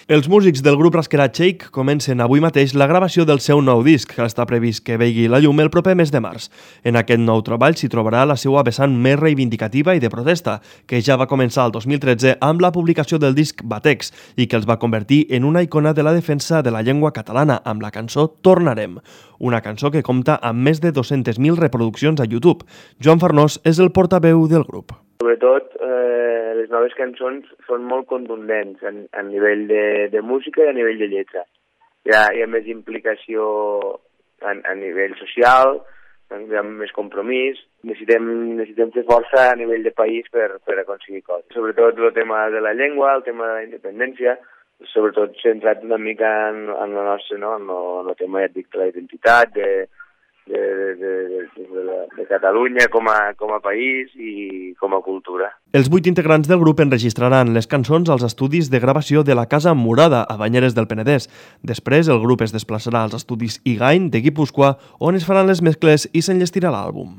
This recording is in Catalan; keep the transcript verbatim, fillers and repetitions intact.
Els músics del grup rasquerà Shake comencen avui mateix la gravació del seu nou disc, que està previst que vegi la llum el proper mes de març. En aquest nou treball s'hi trobarà la seva vessant més reivindicativa i de protesta, que ja va començar el dos mil tretze amb la publicació del disc Batecs i que els va convertir en una icona de la defensa de la llengua catalana amb la cançó Tornarem, una cançó que compta amb més de dues-centes mil reproduccions a YouTube. Joan Farnós és el portaveu del grup. Sobretot, eh, les noves cançons són molt contundents a, a nivell de, de música i a nivell de lletra. Hi ha, hi ha més implicació a, a nivell social, hi ha més compromís, necessitem, necessitem fer força a nivell de país per, per aconseguir coses. Sobretot el tema de la llengua, el tema de la independència, sobretot centrat una mica en, en el nostre, no? en, el, en el tema, ja et dic, de la identitat, de, de, de, de, de, de, de Catalunya com a, com a país i com a cultura. Els vuit integrants del grup enregistraran les cançons als estudis de gravació de la Casa Murada, a Banyeres del Penedès. Després, el grup es desplaçarà als estudis Igain de Guipúscoa, on es faran les mescles i s'enllestirà l'àlbum.